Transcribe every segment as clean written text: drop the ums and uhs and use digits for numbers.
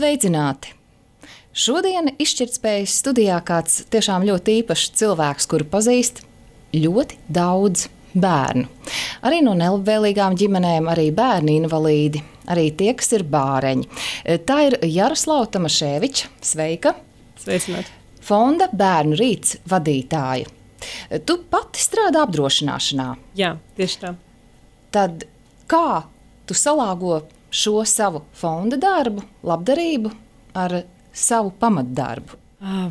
Sveicināti! Šodien izšķirtspējas studijā kāds tiešām ļoti īpašs cilvēks, kuru pazīst ļoti daudz bērnu. Arī no nelabvēlīgām ģimenēm, arī bērni invalīdi, arī tie, kas ir bāreņi. Tā ir Jaroslava Tomaševiča. Sveika! Sveicināti! Fonda Bērnu rīts vadītāja. Tu pati strādā apdrošināšanā. Jā, tieši tā. Tad kā tu salāgo šo savu fonda darbu, labdarību ar savu pamatdarbu?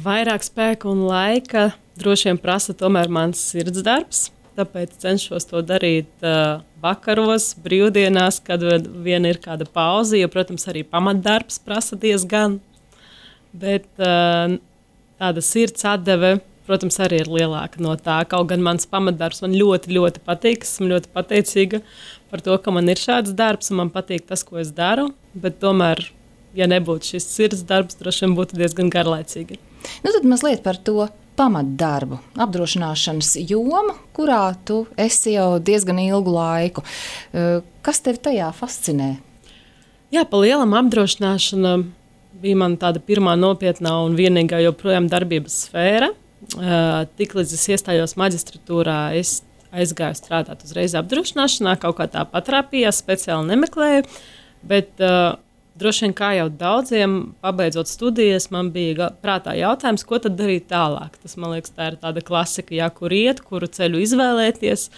Vairāk spēka un laika droši vien prasa tomēr mans sirds darbs, tāpēc cenšos to darīt vakaros, brīvdienās, kad vien ir kāda pauze, jo, protams, arī pamatdarbs prasa diezgan, bet tāda sirds atdeve, protams, arī ir lielāka no tā. Kaut gan mans pamatdarbs man ļoti, ļoti patīk, esmu ļoti pateicīga par to, ka man ir šāds darbs un man patīk tas, ko es daru, bet tomēr, ja nebūtu šis sirds darbs, droši vien būtu diezgan garlaicīgi. Nu tad mazliet par to pamatdarbu, apdrošināšanas jomu, kurā tu esi jau diezgan ilgu laiku. Kas tevi tajā fascinē? Jā, pa lielam apdrošināšana bija man tāda pirmā nopietnā un vienīgā joprojām darbības sfēra. Tiklīdz es iestājos maģistratūrā, es aizgāju strādāt uzreiz apdrošināšanā, kaut kā tā patrāpījās, speciāli nemeklēju, bet droši vien kā jau daudziem, pabeidzot studijas, man bija prātā jautājums, ko tad darīt tālāk. Tas, man liekas, tā ir tāda klasika, jā, kur iet, kuru ceļu izvēlēties.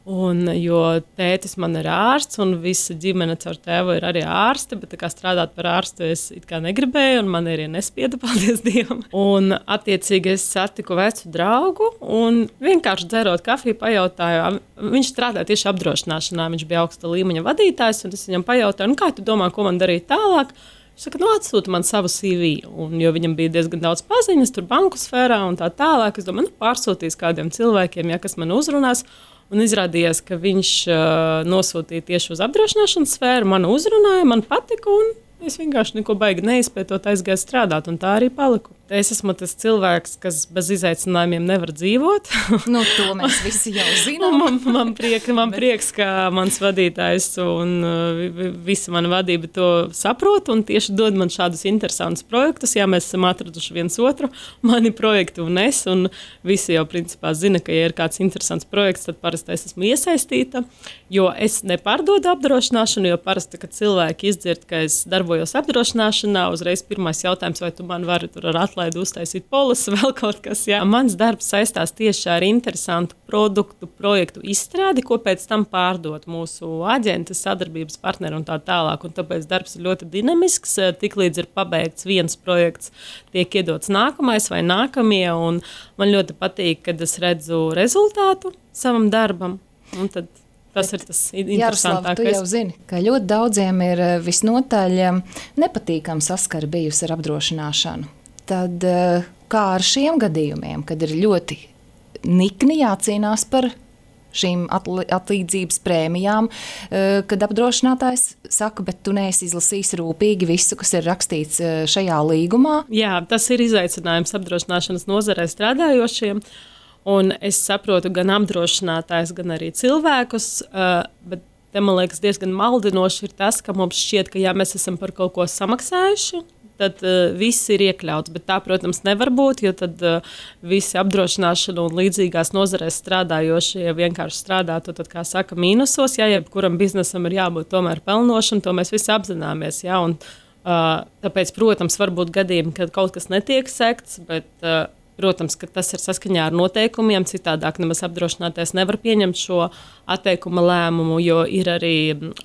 Un, jo tētis man ir ārsts, un visa ģimene caur tēvu ir arī ārsti, bet kā strādāt par ārstu es it kā negribēju, un man arī nespieda, paldies Dievam. Un, attiecīgi, es satiku vecu draugu, un vienkārši dzerot kafiju pajautāju, viņš strādāja tieši apdrošināšanā, viņš bija augsta līmeņa vadītājs, un es viņam pajautāju, kā tu domā, ko man darīt tālāk? Viņš saka, atsūta man savu CV, un, jo viņam bija diezgan daudz paziņas, tur banku sfērā un tā tālāk. Es domāju, pārsūtīs kādiem cilvēkiem, ja kas man uzrunās. Un izrādījās, ka viņš nosūtīja tieši uz apdrošināšanas sfēru, man uzrunāja, man patika, un es vienkārši neko baigi neizpētot, aizgāju strādāt, un tā arī paliku. Es esmu tas cilvēks, kas bez izaicinājumiem nevar dzīvot. Nu, to mēs visi jau zinām. man prieks, ka mans vadītājs un visa mana vadība to saprot un tieši dod man šādus interesantus projektus. Jā, mēs esam atraduši viens otru, mani projekti un es, un visi jau principā zina, ka ja ir kāds interesants projekts, tad parasti es esmu iesaistīta, jo es nepārdodu apdrošināšanu, jo parasti, kad cilvēki izdzird, ka es darbojos apdrošināšanā, uzreiz pirmais jautājums, vai tu man vari tur ar atlaidu uztaisīt polisu, vēl kaut kas. Jā. Mans darbs saistās tieši ar interesantu produktu, projektu izstrādi, ko pēc tam pārdot mūsu aģenti, sadarbības partneri un tā tālāk. Un tāpēc darbs ir ļoti dinamisks. Tiklīdz ir pabeigts viens projekts, tiek iedots nākamais vai nākamie. Un man ļoti patīk, kad es redzu rezultātu savam darbam. Un tad tas ir tas interesantākais. Jaroslava, tu jau zini, ka ļoti daudziem ir visnotaļ nepatīkama saskara bijusi ar apdrošināšanu. Tad kā ar šiem gadījumiem, kad ir ļoti nikni jācīnās par šīm atlīdzības prēmijām, kad apdrošinātājs saka, bet tu neesi izlasījis rūpīgi visu, kas ir rakstīts šajā līgumā? Jā, tas ir izaicinājums apdrošināšanas nozarē strādājošiem. Un es saprotu gan apdrošinātājs, gan arī cilvēkus, bet te man liekas diezgan maldinoši ir tas, ka mums šķiet, ka ja mēs esam par kaut ko samaksājuši, tad viss ir iekļauts, bet tā, protams, nevar būt, jo tad visi apdrošināšana un līdzīgās nozarēs strādājošie vienkārši strādātu, tad, kā saka, mīnusos, ja kuram biznesam ir jābūt tomēr pelnošam, to mēs visi apzināmies, ja, un tāpēc, protams, var būt gadījumi, kad kaut kas netiek sekts, bet protams, ka tas ir saskaņā ar noteikumiem, citādāk nemaz apdrošinātais nevar pieņemt šo atteikuma lēmumu, jo ir arī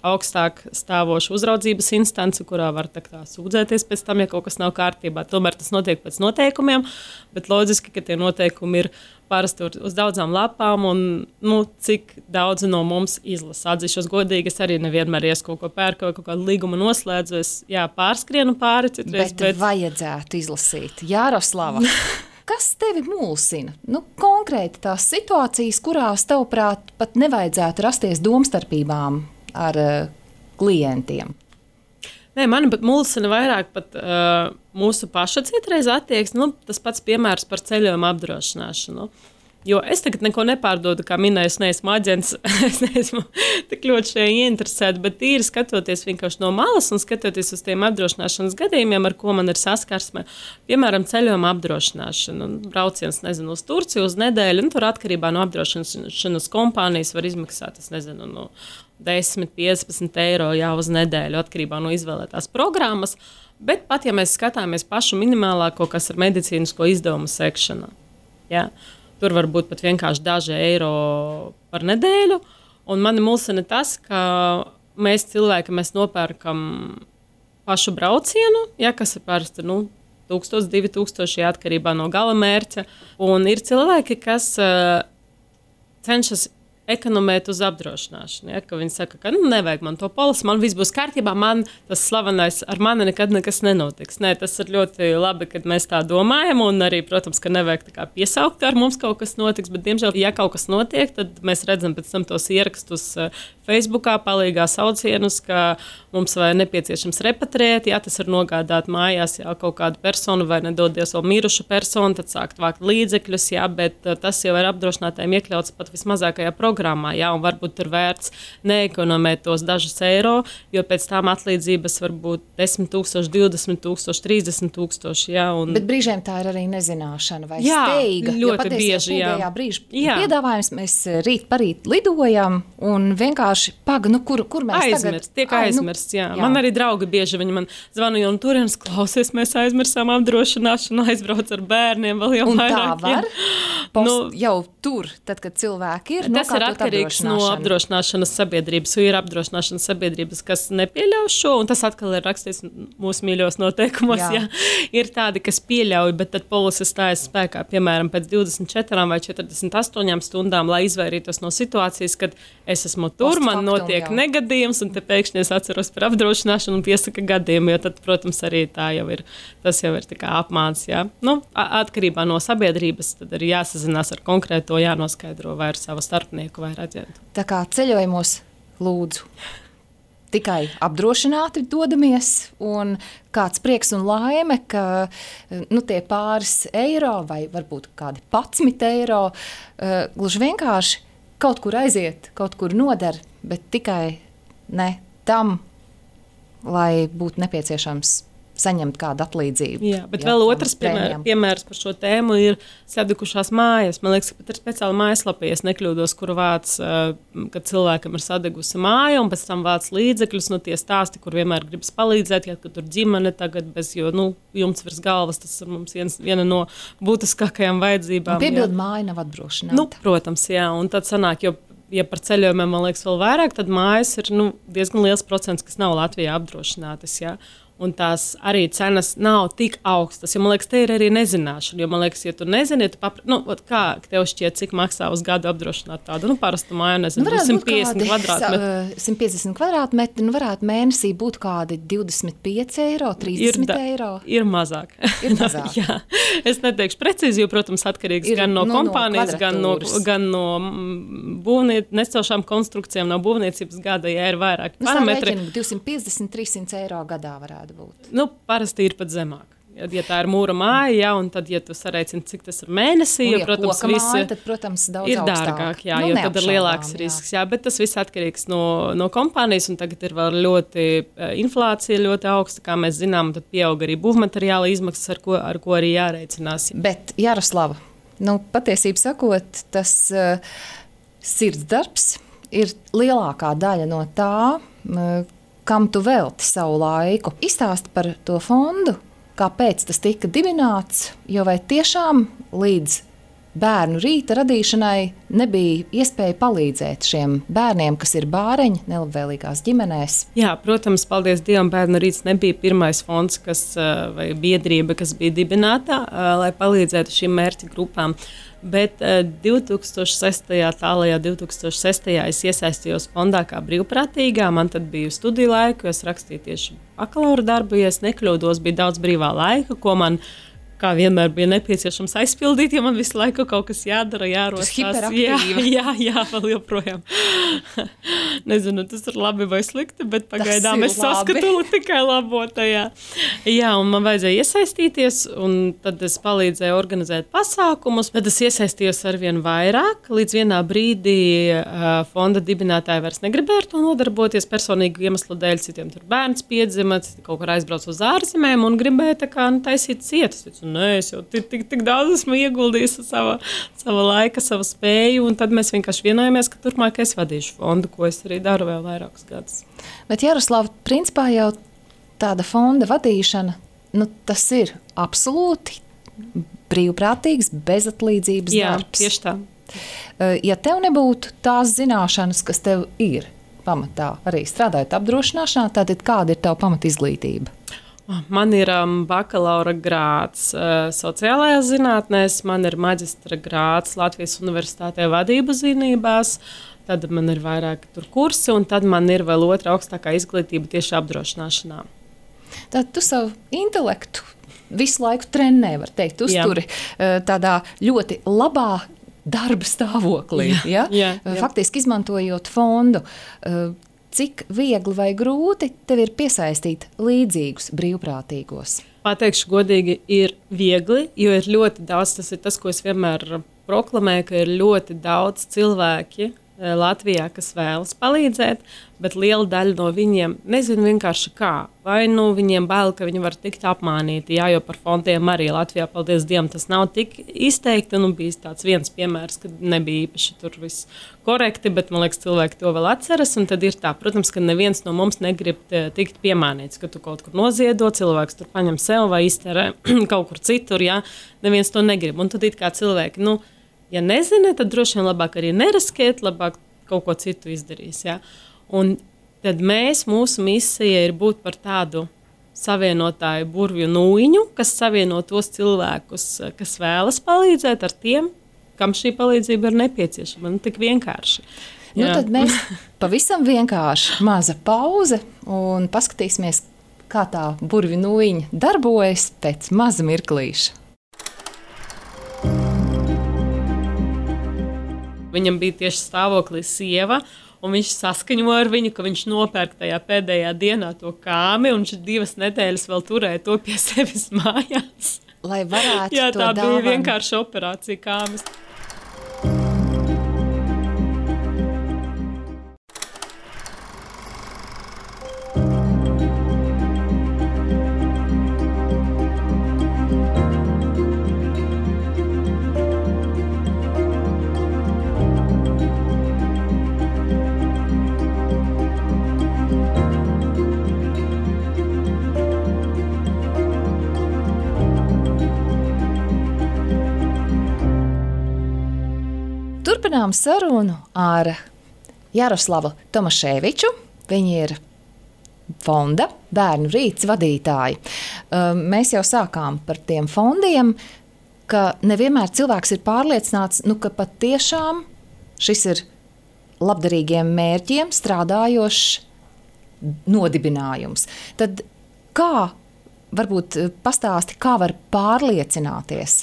augstāk stāvoša uzraudzības instance, kurā var tā sūdzēties pēc tam, ja kaut kas nav kārtībā. Tomēr tas notiek pēc noteikumiem, bet loģiski, ka tie noteikumi ir parasti uz daudzām lapām, un cik daudzi no mums izlasa. Atzīšos godīgi, es arī nevienmēr kaut ko pērku vai kaut kādu līgumu noslēdzu. Es pārskrienu pāri citreiz. Bet vajadzētu izlasīt. Jaroslava, kas tevi mulsina? Konkrēti tās situācijas, kurās tavuprāt pat nevajadzētu rasties domstarpībām ar klientiem? Nē, mani pat mulsina vairāk pat mūsu paša citreiz attieksme. Tas pats piemērs par ceļojuma apdrošināšanu. Jo es tagad neko nepārdodu, kā minēju, es neesmu aģents, es neesmu tik ļoti šajā ieinteresēta, bet tīri skatoties vienkārši no malas un skatoties uz tiem apdrošināšanas gadījumiem, ar ko man ir saskarsme, piemēram, ceļojuma apdrošināšana, brauciens, uz Turciju uz nedēļu, un tur atkarībā no apdrošināšanas kompānijas var izmaksāt, 10–15 eiro jau uz nedēļu, atkarībā no izvēlētās programmas, bet pat, ja mēs skatāmies pašu minimālāko, kas ir medicīnisko izdevumu sekšanā, jā. Tur var būt pat vienkārši daži eiro par nedēļu. Un mani mulsina tas, ka mēs cilvēki nopērkam pašu braucienu, kas ir parasti 1000, 2000 atkarībā no gala mērķa. Un ir cilvēki, kas cenšas ekonomēt uz apdrošināšanu. Ja, ka viņi saka, ka nevajag man to polisi, man viss būs kārtībā, man tas slavenais ar mani nekad nekas nenotiks. Nē, tas ir ļoti labi, kad mēs tā domājam, un arī, protams, ka nevajag tā kā piesaukt, ar mums kaut kas notiks, bet, diemžēl, ja kaut kas notiek, tad mēs redzam pēc tam tos ierakstus Facebookā, palīgā saucienus, ka mums vai nepieciešams repatriēt, ja tas ir nogādāt mājās, ja kaut kādu personu vai nedodies vēl mirušu personu, tad sākt vākt līdzekļus, ja, bet tas jau ir apdrošinātājiem iekļauts pat vismazākajā programmā, ja, un varbūt ir vērts neekonomēt tos dažus eiro, jo pēc tām atlīdzības var būt 10 000, 20 000, 30 000, ja. Un... Bet brīžiem tā ir arī nezināšana vai jā, steiga. Ļoti bieži, jā. Brīža piedāvājums, mēs rīt parīt lidojam un vienkārši kur mēs tiek aizmirsts, jā. Man arī draugi bieži viņi man zvanu, un turienes klausies, mēs aizmirsām apdrošināšanu, aizbrauc ar bērniem vēl jau un vairāk. Tā var jau tur, tad, kad cilvēki ir tas ir atkarīgs no apdrošināšanas sabiedrības, jo ir apdrošināšanas sabiedrības, kas nepieļauj šo, un tas atkal ir rakstīts mūsu mīļos noteikumos, jā. Ir tādi, kas pieļauj, bet tad polise stājas spēkā, piemēram, pēc 24 vai 48 stundām, lai izvairītos no situācijas, kad es esmu tur, man notiek negadījums, un te pēkšņi es atceros par apdrošināšanu un piesaka gadījumu, jo tad, protams, arī tas jau ir tā kā apmāns, jā. Atkarībā no sabiedrības, tad ir jāsazinās ar konkrēto, jānoskaidro vai ar savu starpnieku vai ar aģentu. Tā kā ceļojumos lūdzu tikai apdrošināti dodamies, un kāds prieks un laime, ka tie pāris eiro vai varbūt kādi 11 eiro gluži vienkārši kaut kur aiziet, kaut kur noder, bet tikai ne tam, lai būtu nepieciešams saņemt kādu atlīdzību. Jā, bet vēl otrs piemērs par šo tēmu ir sadegušās mājas. Man liekas, ka pat ir speciāli mājaslapa, ja es nekļūdos, kur vāc, kad cilvēkam ir sadegusi māja, un pēc tam vāc līdzekļus, tie stāsti, kur vienmēr gribas palīdzēt, ja tur ģimene tagad bez, jo, jumts virs galvas, tas ir mums viena no būtiskākajām vajadzībām. Piebildu māja nav apdrošināta. Protams, jā, un tad sanāk, ja par ceļojumiem, man liekas, vēl vairāk, tad mājas ir diezgan liels procents, kas nav Latvijā apdrošinātas, jā. Un tās arī cenas nav tik augstas, jo, man liekas, te ir arī nezināšana, jo, man liekas, ja tu nezini, kā tev šķiet, cik maksā uz gadu apdrošināt tādu, parastu māju, 150 kvadrātmetri. 150 kvadrātmetri, varētu mēnesī būt kādi 25 eiro, 30 eiro. Ir mazāk. Jā. Es neteikšu precīzi, jo, protams, atkarīgs gan no kompānijas, gan no necošām konstrukcijām, no būvniecības gada, ja ir vairāk parametri. 250-300 eiro gadā varētu būt. Parasti ir pat zemāk. Ja tā ir mūra māja, un tad, ja tu sareicini, cik tas ir mēnesī, jo, protams, māja, tad, protams, daudz ir dārgāk, jā, jo tad ir lielāks risks. Jā, bet tas viss atkarīgs no kompānijas, un tagad ir vēl inflācija ļoti augsta, kā mēs zinām, un tad pieaug arī būvmateriāla izmaksas, ar ko arī jāreicinās. Bet, Jaroslava, patiesībā sakot, tas sirdsdarbs ir lielākā daļa no tā, kam tu velti savu laiku. Izstāsti par to fondu, kāpēc tas tika dibināts, jo vai tiešām līdz bērnu rīta radīšanai nebija iespēja palīdzēt šiem bērniem, kas ir bāreņi nelabvēlīgās ģimenēs? Jā, protams, paldies Dievam, bērnu rīts nebija pirmais fonds, vai biedrība, kas bija dibināta, lai palīdzētu šīm mērķa grupām. Bet 2006. es iesaistījos fondā kā brīvprātīgā. Man tad bija studiju laika, jo es rakstīju tieši bakalaura darbu. Ja es nekļūdos, bija daudz brīvā laika, ko man kā vienmēr bija nepieciešams aizpildīt, ja man visu laiku kaut kas jādara, jārostās. Jā, vēl joprojām. Nezinu, tas ir labi vai slikti, bet pagaidām es saskatu tikai labotajā. Jā, un man vajadzēja iesaistīties, un tad es palīdzēju organizēt pasākumus, bet es iesaistījos arvien vairāk. Līdz vienā brīdī fonda dibinātāji vairs negribēja ar to nodarboties personīgu iemeslu dēļ, citiem tur bērns piedzima, citi kaut kur aizbrauc uz ārzemēm un gribēja tā kā taisīt cietas. Nē, es jau tik daudz esmu ieguldījis sava laika, savu spēju, un tad mēs vienkārši vienojāmies, ka turpmāk es vadīšu fondu, ko es arī daru vēl vairākus gadus. Bet, Jaroslava, principā jau tāda fonda vadīšana, tas ir absolūti brīvprātīgs, bezatlīdzības darbs. Jā, tieši tā. Ja tev nebūtu tās zināšanas, kas tev ir pamatā, arī strādājot apdrošināšanā, tātad kāda ir tava pamatizglītība? Man ir bakalaura grāds sociālajās zinātnēs, man ir maģistra grāds Latvijas Universitātē vadības zinībās, tad man ir vairāki tur kursi, un tad man ir vēl otra augstākā izglītība tieši apdrošināšanā. Tad tu savu intelektu visu laiku trenē, var teikt, uzturi tādā ļoti labā darba stāvoklī. Jā. Faktiski izmantojot fondu. Cik viegli vai grūti tev ir piesaistīt līdzīgus brīvprātīgos? Pateikšu godīgi, ir viegli, jo ir ļoti daudz, tas ir tas, ko es vienmēr proklamēju, ka ir ļoti daudz cilvēki Latvijā, kas vēlas palīdzēt, bet liela daļa no viņiem nezinu vienkārši kā. Vai viņiem bail, ka viņi var tikt apmānīti, jo par fondiem arī Latvijā, paldies Dievam, tas nav tik izteikti. Bijis tāds viens piemērs, kad nebija īpaši tur viss korekti, bet man liekas, cilvēki to vēl atceras. Un tad ir tā, protams, ka neviens no mums negrib tikt piemānīts, ka tu kaut kur noziedo, cilvēks tur paņem sev vai izterē kaut kur citur, neviens to negrib. Un tad it kā cilvēki, ja nezina, tad droši vien labāk arī neriskēt, labāk kaut ko citu izdarīs. Ja? Un tad mūsu misija ir būt par tādu savienotāju burvju nūjiņu, kas savieno tos cilvēkus, kas vēlas palīdzēt ar tiem, kam šī palīdzība ir nepieciešama. Tik vienkārši. Tad mēs pavisam vienkārši maza pauze un paskatīsimies, kā tā burvju nūjiņa darbojas pēc maza mirklīša. Viņam bija tieši stāvoklī sieva, un viņš saskaņoja ar viņu, ka viņš nopērk tajā pēdējā dienā to kāmi, un viņš 2 nedēļas vēl turēja to pie sevis mājās. Lai varētu to tā dāvanu. Bija vienkārši operācija kāmis. Turpinām sarunu ar Jaroslavu Tomaševiču. Viņa ir fonda Bērnu rīts vadītāja. Mēs jau sākām par tiem fondiem, ka nevienmēr cilvēks ir pārliecināts, ka patiešām šis ir labdarīgiem mērķiem strādājošs nodibinājums. Tad kā, varbūt pastāsti, kā var pārliecināties,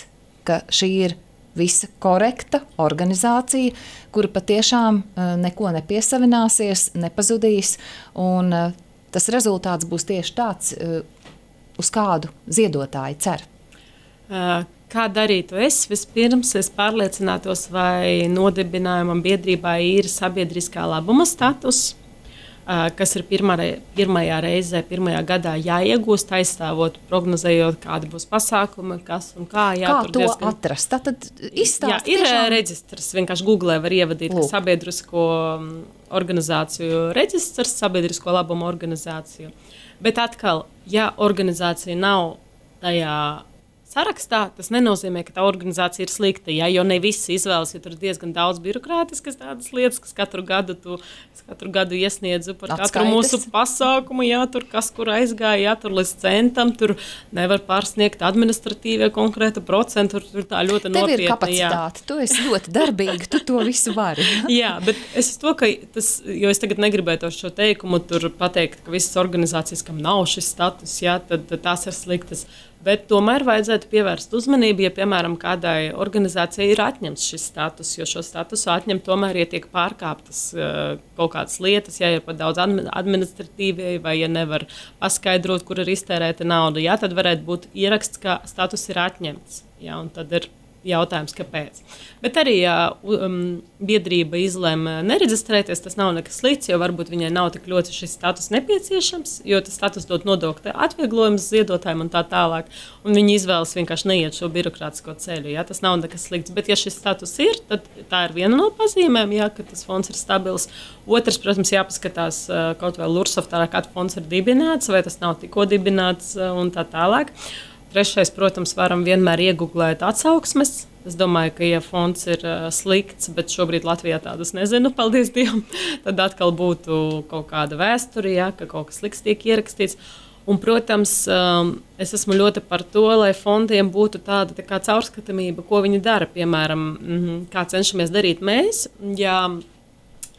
ka šī ir visa korekta organizācija, kura patiešām neko nepiesavināsies, nepazudīs, un tas rezultāts būs tieši tāds, uz kādu ziedotāji cer. Kā darītu es? Vispirms es pārliecinātos, vai nodibinājumam biedrībā ir sabiedriskā labuma status, kas ir pirmajā reizē, pirmajā gadā jāiegūst, aizstāvot, prognozējot, kādi būs pasākumi, kas un kā. Kā to atrast? Tātad izstāst ir tiešām... reģistrs, vienkārši Googlē var ievadīt, ka sabiedrisko organizāciju reģistrs, sabiedrisko labumu organizāciju. Bet atkal, ja organizācija nav tajā sarakstā, tas nenozīmē, ka tā organizācija ir slikta, jo ne visi izvēlas, jo tur ir diezgan daudz birokrātiskas tādas lietas, kas katru gadu iesniedzu par katru mūsu pasākumu, tur kas kur aizgāja, tur līdz centam, tur nevar pārsniegt administratīvie konkrēta procentu, tur tā ļoti nopietni. Tev ir kapacitāte, tu esi ļoti darbīga, tu to visu vari. Jā, bet es to, ka tas, jo es tagad negribētu šo teikumu tur pateikt, ka visas organizācijas, kam nav šis status, tad tās ir sliktas. Bet tomēr vajadzētu pievērst uzmanību, ja, piemēram, kādai organizācijai ir atņemts šis status, jo šo statusu atņem tomēr, ja tiek pārkāptas kaut kādas lietas, ja ir pat daudz administratīvi, vai ja nevar paskaidrot, kur ir iztērēta nauda, jā, tad varētu būt ieraksts, ka status ir atņemts. Jā, un tad ir jautājums, kāpēc. Bet arī, ja biedrība izlēma nereģistrēties, tas nav nekas slikts, jo varbūt viņai nav tik ļoti šis status nepieciešams, jo tas status dod nodokļu atvieglojumus ziedotājiem un tā tālāk. Un viņi izvēlas vienkārši neiet šo birokrātisko ceļu. Ja? Tas nav nekas slikts. Bet, ja šis status ir, tad tā ir viena no pazīmēm, ja, ka tas fonds ir stabils. Otrs, protams, jāpaskatās kaut vai Lursoftā, kāds fonds ir dibināts, vai tas nav tikko dibināts un tā tālāk. Trešais, protams, varam vienmēr iegūglēt atsauksmes. Es domāju, ka, ja fonds ir slikts, bet šobrīd Latvijā tādas nezinu, paldies Dievam, tad atkal būtu kaut kāda vēsture, ja, ka kaut kas slikts tiek ierakstīts. Un, protams, es esmu ļoti par to, lai fondiem būtu tāda tā kā caurskatāmība, ko viņi dara. Piemēram, kā cenšamies darīt mēs, ja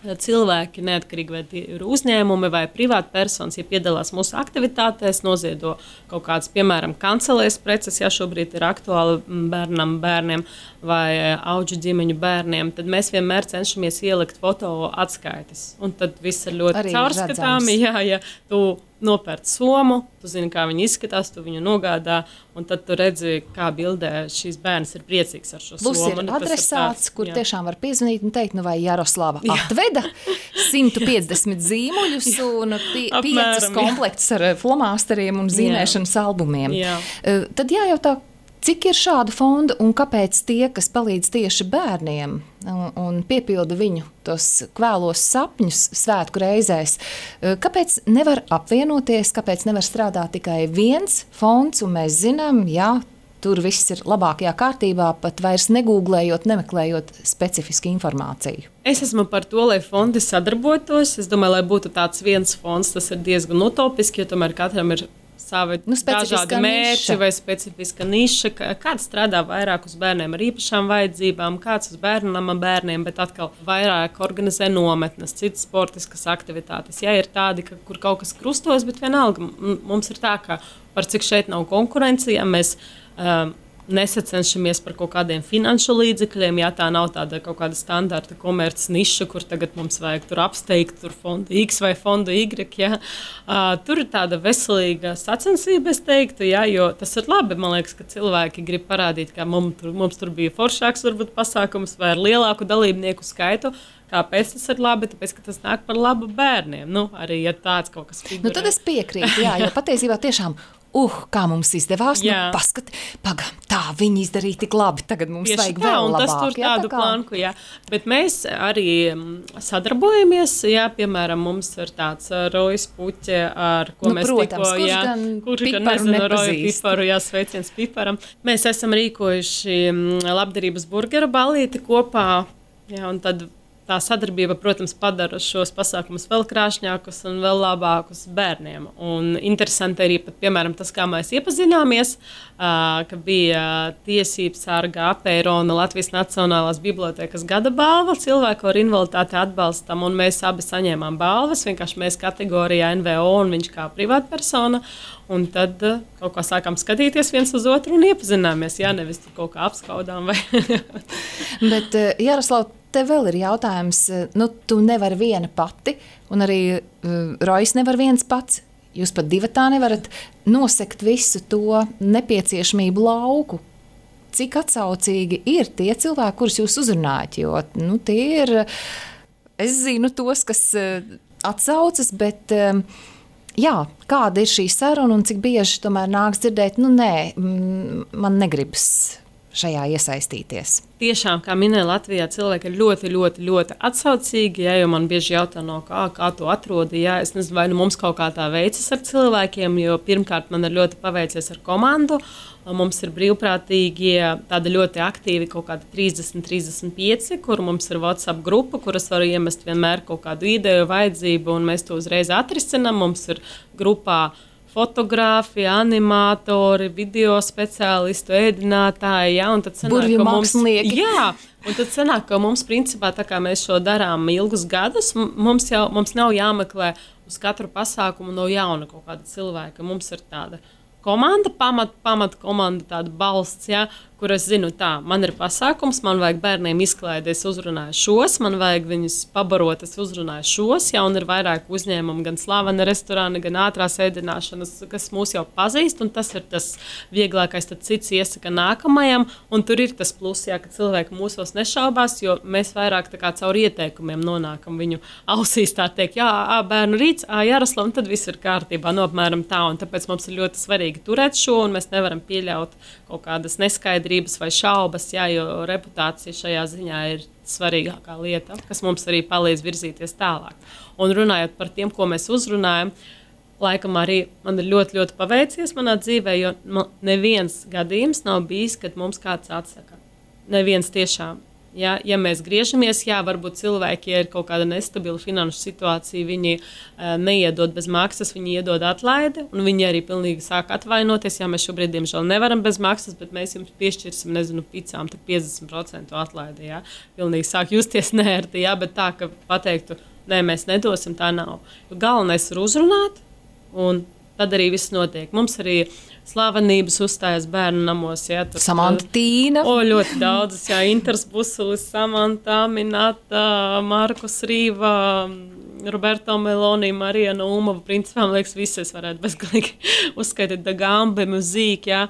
cilvēki, neatkarīgi vai ir uzņēmumi vai privāti personas, ja piedalās mūsu aktivitātēs, noziedo kaut kādas, piemēram, kancelēs preces, ja šobrīd ir aktuāli bērniem vai auģu ģimeņu bērniem, tad mēs vienmēr cenšamies ielikt foto atskaites. Un tad viss ir ļoti caurskatāmi. Ja tu nopērc somu, tu zini, kā viņi izskatās, tu viņu nogādā, un tad tu redzi, kā bildē šīs bērns ir priecīgs ar šo Plus somu. Plus ir adresāts, kur tiešām var piezvanīt un teikt, nu vai Jaroslava atveda 150 zīmuļus un 5 komplektus ar flomāsteriem un zīmēšanas albumiem. Jā. Tad jājautā, cik ir šādu fondu un kāpēc tie, kas palīdz tieši bērniem un piepilda viņu tos kvēlos sapņus svētku reizēs, kāpēc nevar apvienoties, kāpēc nevar strādāt tikai viens fonds, un mēs zinām, jā, tur viss ir labākajā kārtībā, pat vairs negūglējot, nemeklējot specifisku informāciju. Es esmu par to, lai fondi sadarbotos. Es domāju, lai būtu tāds viens fonds, tas ir diezgan utopiski, jo tomēr katram ir savi dažādi mērķi vai specifiska niša. Kāds strādā vairāk uz bērniem ar īpašām vajadzībām, kāds uz bērnama bērniem, bet atkal vairāk organizē nometnes, citas sportiskas aktivitātes. Jā, ir tādi, kur kaut kas krustojas, bet vienalga mums ir tā, ka par cik šeit nav konkurence, ja mēs nesacenšamies par kaut kādiem finanšu līdzekļiem, ja tā nav tāda kaut kāda standarta komerces niša, kur tagad mums vajag tur apsteigt tur fondu X vai fondu Y. Ja. Tur ir tāda veselīga sacensība, es teiktu, ja, jo tas ir labi. Man liekas, ka cilvēki grib parādīt, ka mums tur bija foršāks varbūt pasākums vai ar lielāku dalībnieku skaitu. Kāpēc tas ir labi? Tāpēc, ka tas nāk par labu bērniem. Nu, arī, ja tāds kaut kas figurē. Nu, tad es piekrītu, jā, jo patiesībā tiešām kā mums izdevās, paskat, tā viņi izdarīja tik labi, tagad mums tieši vajag vēl labāk. Tas tur tādu planku, jā. Bet mēs arī sadarbojamies, jā, piemēram, mums ir tāds Rojas puķe, ar ko mēs protams, kurš gan nezinu Roja piparu, jā, sveiciens piparam. Mēs esam rīkojuši labdarības burgera ballīti kopā, jā, un tad tā sadarbība, protams, padara šos pasākumus vēl krāšņākus un vēl labākus bērniem. Un interesanti arī, pat, piemēram, tas, kā mēs iepazināmies, ka bija tiesības sarga Apeirona Latvijas Nacionālās bibliotēkas gada balva cilvēku ar invaliditāti atbalstam, un mēs abi saņēmām balvas, vienkārši mēs kategorijā NVO un viņš kā privātpersona. Un tad kaut kā sākām skatīties viens uz otru un iepazināmies, jā, nevis tur kaut kā apskaudām. Bet, Jaroslav, tev vēl ir jautājums, nu, tu nevari viena pati, un arī Rojas nevar viens pats. Jūs pat divatā nevarat nosekt visu to nepieciešamību lauku. Cik atsaucīgi ir tie cilvēki, kurus jūs uzrunājat, jo, nu, tie ir, es zinu tos, kas atsaucas, bet, jā, kāda ir šī saruna un cik bieži tomēr nāks dzirdēt, nu, nē, man negribas šajā iesaistīties. Tiešām, kā minēja Latvijā, cilvēki ir ļoti, ļoti, ļoti atsaucīgi, ja, jo man bieži jautā, no kā to atrodi. Ja, es nezinu, vai nu mums kaut kā tā veicas ar cilvēkiem, jo pirmkārt man ir ļoti paveicies ar komandu. Mums ir brīvprātīgi tādi ļoti aktīvi kaut kādi 30-35, kur mums ir WhatsApp grupa, kuras var iemest vienmēr kaut kādu ideju, vajadzību, un mēs to uzreiz atrisinām. Mums ir grupā fotogrāfi, animatori, video speciālistu, ēdinātāji, ja, un tad sanāk, ka mums principā, tā kā mēs šo darām ilgus gadus, mums nav jāmeklē uz katru pasākumu no jauna kaut kāda cilvēka. Mums ir tāda komanda, pamat komanda, tāda balsts, ja, kur es zinu, tā, man ir pasākums, man vajag bērniem izklaidi, es uzrunāju šos, man vajag viņus pabarot, es uzrunāju šos, ja, un ir vairāk uzņēmumu, gan slavena restorāna, gan ātrās ēdināšanas, kas mūs jau pazīst, un tas ir tas vieglākais, tad cits iesaka nākamajam, un tur ir tas plus, ja, ka cilvēki mūsos nešaubās, jo mēs vairāk tā kā caur ieteikumiem nonākam viņu ausīs, tā teikt, jā, bērnu rīts, Jaroslav, un tad viss ir kārtībā, apmēram tā, un tāpēc mums ir ļoti svarīgi turēt šo, un mēs nevaram pieļaut kaut kādas neskaidrības vai šaubas, jā, jo reputācija šajā ziņā ir svarīgākā lieta, kas mums arī palīdz virzīties tālāk. Un runājot par tiem, ko mēs uzrunājam, laikam arī man ir ļoti, ļoti paveicies manā dzīvē, jo neviens gadījums nav bijis, kad mums kāds atsaka. Neviens tiešām. Ja mēs griežamies, varbūt cilvēki, ja ir kaut kāda nestabila finanšu situācija, viņi neiedod bez maksas, viņi iedod atlaidi, un viņi arī pilnīgi sāk atvainoties. Jā, mēs šobrīd, diemžēl, nevaram bez maksas, bet mēs jums piešķirsim, nezinu, picām, tad 50% atlaidi. Jā. Pilnīgi sāk justies neērti, bet tā, ka pateiktu, nē, mēs nedosim, tā nav. Jo galvenais ir uzrunāt, un tad arī viss notiek. Mums arī slavenības uzstājas bērnu namos. Jā, Samanta Tīna. Ļoti daudzas, jā, Inters Busulis, Samanta, Minata, Markus Rīva, Roberto Meloni, Marija Nūmova. Principā, man liekas, visas varētu bezgalīgi uzskaitīt Dagambe, Muzīk, jā.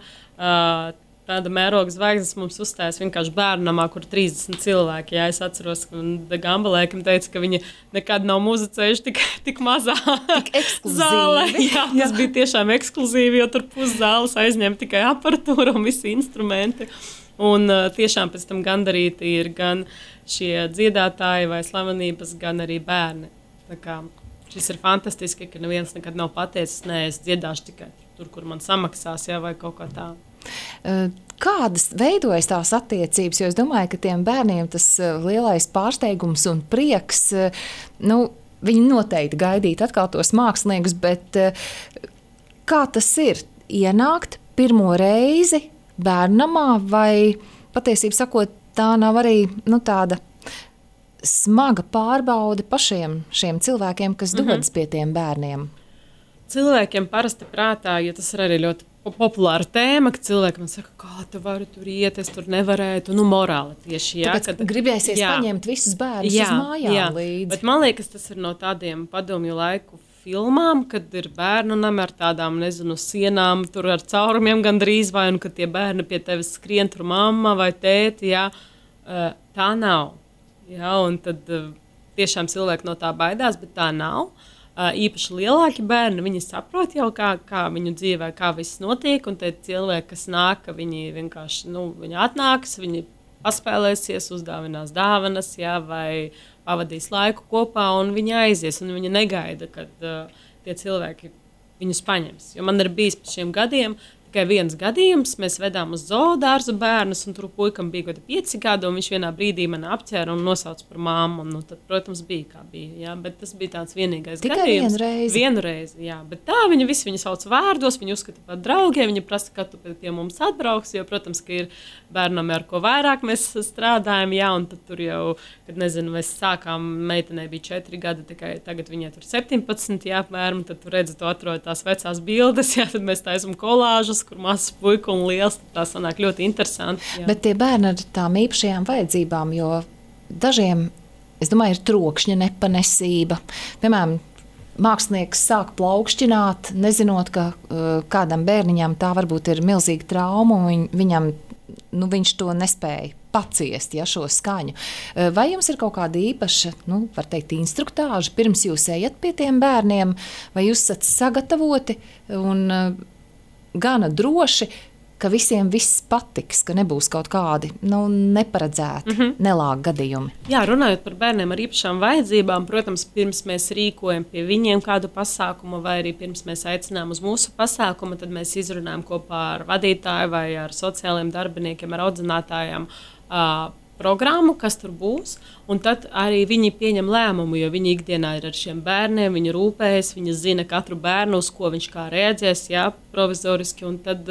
Tāda mēroga zvaigznes mums uzstājas vienkārši bērnu namā, kur 30 cilvēki. Jā, es atceros, ka Dagamba laikam teica, ka viņi nekad nav muzicējuši tik mazā zālē. Jā, tas bija tiešām ekskluzīvi, jo tur puszāles aizņem tikai aparatūra un visi instrumenti. Un tiešām pēc tam gandarīti ir gan šie dziedātāji vai slavenības, gan arī bērni. Tā kā šis ir fantastiski, ka neviens nekad nav pateicis, nē, es dziedāšu tikai tur, kur man samaksās, jā, vai kaut kā tā. Kādas veidojas tās attiecības? Jo es domāju, ka tiem bērniem tas lielais pārsteigums un prieks, viņi noteikti gaidītu atkal tos māksliniekus, bet kā tas ir ienākt pirmo reizi bērnamā, vai patiesībā sakot, tā nav arī tāda smaga pārbaude pašiem šiem cilvēkiem, kas dodas pie tiem bērniem? Cilvēkiem parasti prātā, jo tas ir arī ļoti populāra tēma, ka cilvēki man saka, kā tu vari tur iet, es tur nevarētu, morāli tieši. Jā, tāpēc gribēsies paņemt visus bērnus uz mājām līdzi. Bet man liekas, tas ir no tādiem padomju laiku filmām, kad ir bērnu nami ar tādām, nezinu, sienām, tur ar caurumiem gandrīz vai, un kad tie bērni pie tevis skrien tur mamma vai tēti, jā, tā nav. Jā, un tad tiešām cilvēki no tā baidās, bet tā nav. Īpaši lielāki bērni, viņi saprot jau, kā viņu dzīvē, kā viss notiek, un tie cilvēki, kas nāk, viņi vienkārši, viņi atnāks, viņi paspēlēsies, uzdāvinās dāvanas, jā, vai pavadīs laiku kopā, un viņi aizies, un viņi negaida, kad tie cilvēki viņus paņems. Jo man ir bijis pēc šiem gadiem tikai viens gadījums, mēs vedām uz zoodārzu bērnus, un tur puikam bija kaut 5 gadi, un viņš vienā brīdī mani apķēra un nosauca par mammu. Tad, protams, bija kā bija, jā, bet tas bija tāds vienīgais tikai gadījums. Vienu reizi, jā, bet tā viņi visi viņu sauc vārdos, viņi uzskata par draugiem, viņi prasa, ka tu pie mums atbrauks, jo, protams, ka ir bērnam, ar ko vairāk mēs strādājam, jā, un tad tur jau, kad nezinu, mēs sākām, meitenei bija 4 gadi, tikai tagad viņai tur 17, jā, apmēram, tad tu redzi, tu atrod tās vecās bildes, jā, tad mēs taisam kolāžas, kur mazs puika un liels, tā sanāk ļoti interesanti. Jā. Bet tie bērni ar tām īpašajām vajadzībām, jo dažiem, es domāju, ir trokšņa nepanesība. Piemēram, mākslinieks sāk plaukšķināt, nezinot, ka kādam bērniņam tā varbūt ir milzīga trauma, un viņam, viņš to nespēja paciest, šo skaņu. Vai jums ir kaut kāda īpaša, var teikt, instruktāža, pirms jūs ejat pie tiem bērniem, vai jūs esat sagatavoti un gana droši, ka visiem viss patiks, ka nebūs kaut kādi neparedzēti, nelāgi gadījumi? Jā, runājot par bērniem ar īpašām vajadzībām, protams, pirms mēs rīkojam pie viņiem kādu pasākumu, vai arī pirms mēs aicinām uz mūsu pasākumu, tad mēs izrunājam kopā ar vadītāju vai ar sociālajiem darbiniekiem, ar audzinātājiem programmu, kas tur būs, un tad arī viņi pieņem lēmumu, jo viņi ikdienā ir ar šiem bērniem, viņi rūpējas, viņi zina katru bērnu, uz ko viņš kā reaģēs, jā, provizoriski, un tad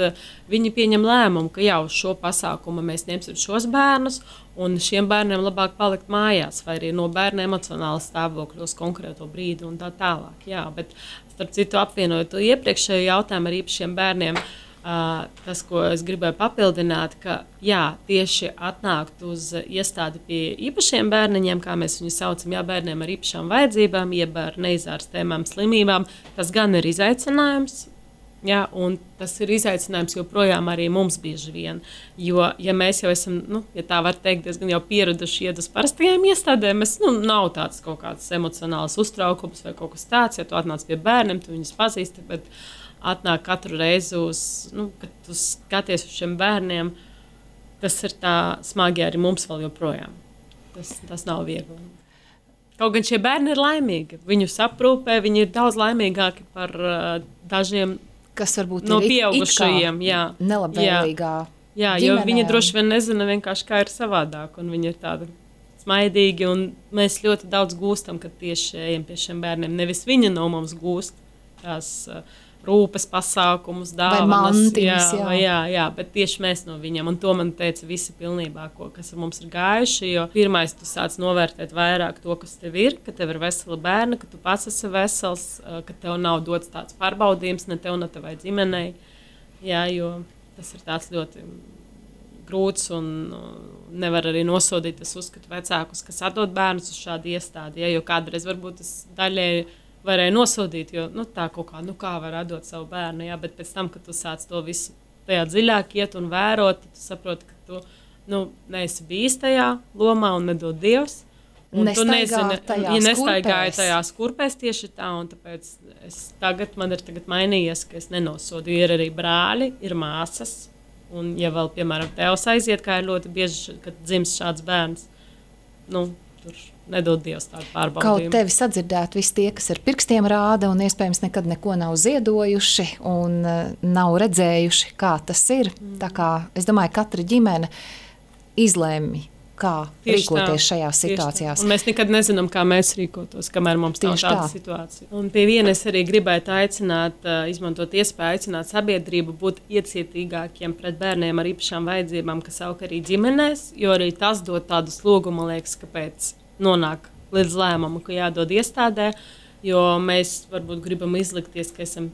viņi pieņem lēmumu, ka jau uz šo pasākumu mēs ņemsim šos bērnus, un šiem bērniem labāk palikt mājās, vai arī no bērna emocionāla stāvokļa uz konkrēto brīdi un tā tālāk. Jā, bet starp citu apvienojot to iepriekšējo jautājumu ar īpašiem bērniem, tas, ko es gribēju papildināt, ka jā, tieši atnākt uz iestādi pie īpašiem bērniņiem, kā mēs viņus saucam, jā, bērniem ar īpašām vajadzībām, jeb ar neizārstējumām slimībām, tas gan ir izaicinājums, jā, un tas ir izaicinājums joprojām arī mums bieži vien, jo, ja mēs jau esam, ja tā var teikt, diezgan jau pieraduši iet uz parastajām iestādēm, mēs, nav tāds kaut kāds emocionāls uztraukums vai kaut kas tāds, ja tu atnāc pie bērniem, tu viņus pazīsti, bet atnāk katru reizi kad tu skaties uz šiem bērniem, tas ir tā smagi arī mums vēl joprojām. Tas nav viegli. Kaut gan šie bērni ir laimīgi. Viņu aprūpē, viņi ir daudz laimīgāki par dažiem kas varbūt no ir pieaugušajiem. Nelabvēlīgā jā, jo viņi droši vien nezina vienkārši, kā ir savādāk, un viņi ir tādi smaidīgi, un mēs ļoti daudz gūstam, kad tieši ejam pie šiem bērniem. Nevis viņi no mums gūst tās rūpes pasākumus, dāvanas, jā, bet tieši mēs no viņiem, un to man teica visi pilnībā, kas ar mums ir gājuši, jo pirmais tu sāc novērtēt vairāk to, kas tev ir, ka tev ir vesela bērna, ka tu pats esi vesels, ka tev nav dots tāds pārbaudījums, ne tev, ne tevai ģimenei, jā, jo tas ir tāds ļoti grūts un nevar arī nosodīt, es uzskatu vecākus, kas atdod bērnus uz šādu iestādi, jo kādreiz varbūt tas daļēji varēja nosodīt, jo tā kaut kā var atdot savu bērnu, jā, bet pēc tam, kad tu sāc to visu tajā dziļāk iet un vērot, tu saproti, ka tu neesi bijis tajā lomā un nedod Dievs. Un tu nezini, nestaigāji tajās kurpēs tieši tā, un tāpēc man ir tagad mainījies, ka es nenosodu. Ir arī brāļi, ir māsas, un ja vēl, piemēram, tevs aiziet, kā ir ļoti bieži, kad dzimst šāds bērns, tur nedod Dievs tādu pārbaudījumu. Kaut tevi sadzirdēt visi tie, kas ar pirkstiem rāda un iespējams nekad neko nav ziedojuši un nav redzējuši, kā tas ir. Tā kā, es domāju, katra ģimene izlēma, kā rīkoties šajās situācijās. Un mēs nekad nezinām, kā mēs rīkotos, kamēr mums nav tāda situācija. Un pie viena es arī gribētu izmantot iespēju aicināt sabiedrību būt iecietīgākiem pret bērniem ar īpašām vajadzībām, kas aug arī ģimenēs, jo arī tas dod tādu slogu, man liekas, kāpēc nonāk līdz lēmumu, ka jādod iestādē, jo mēs varbūt gribam izlikties, ka esam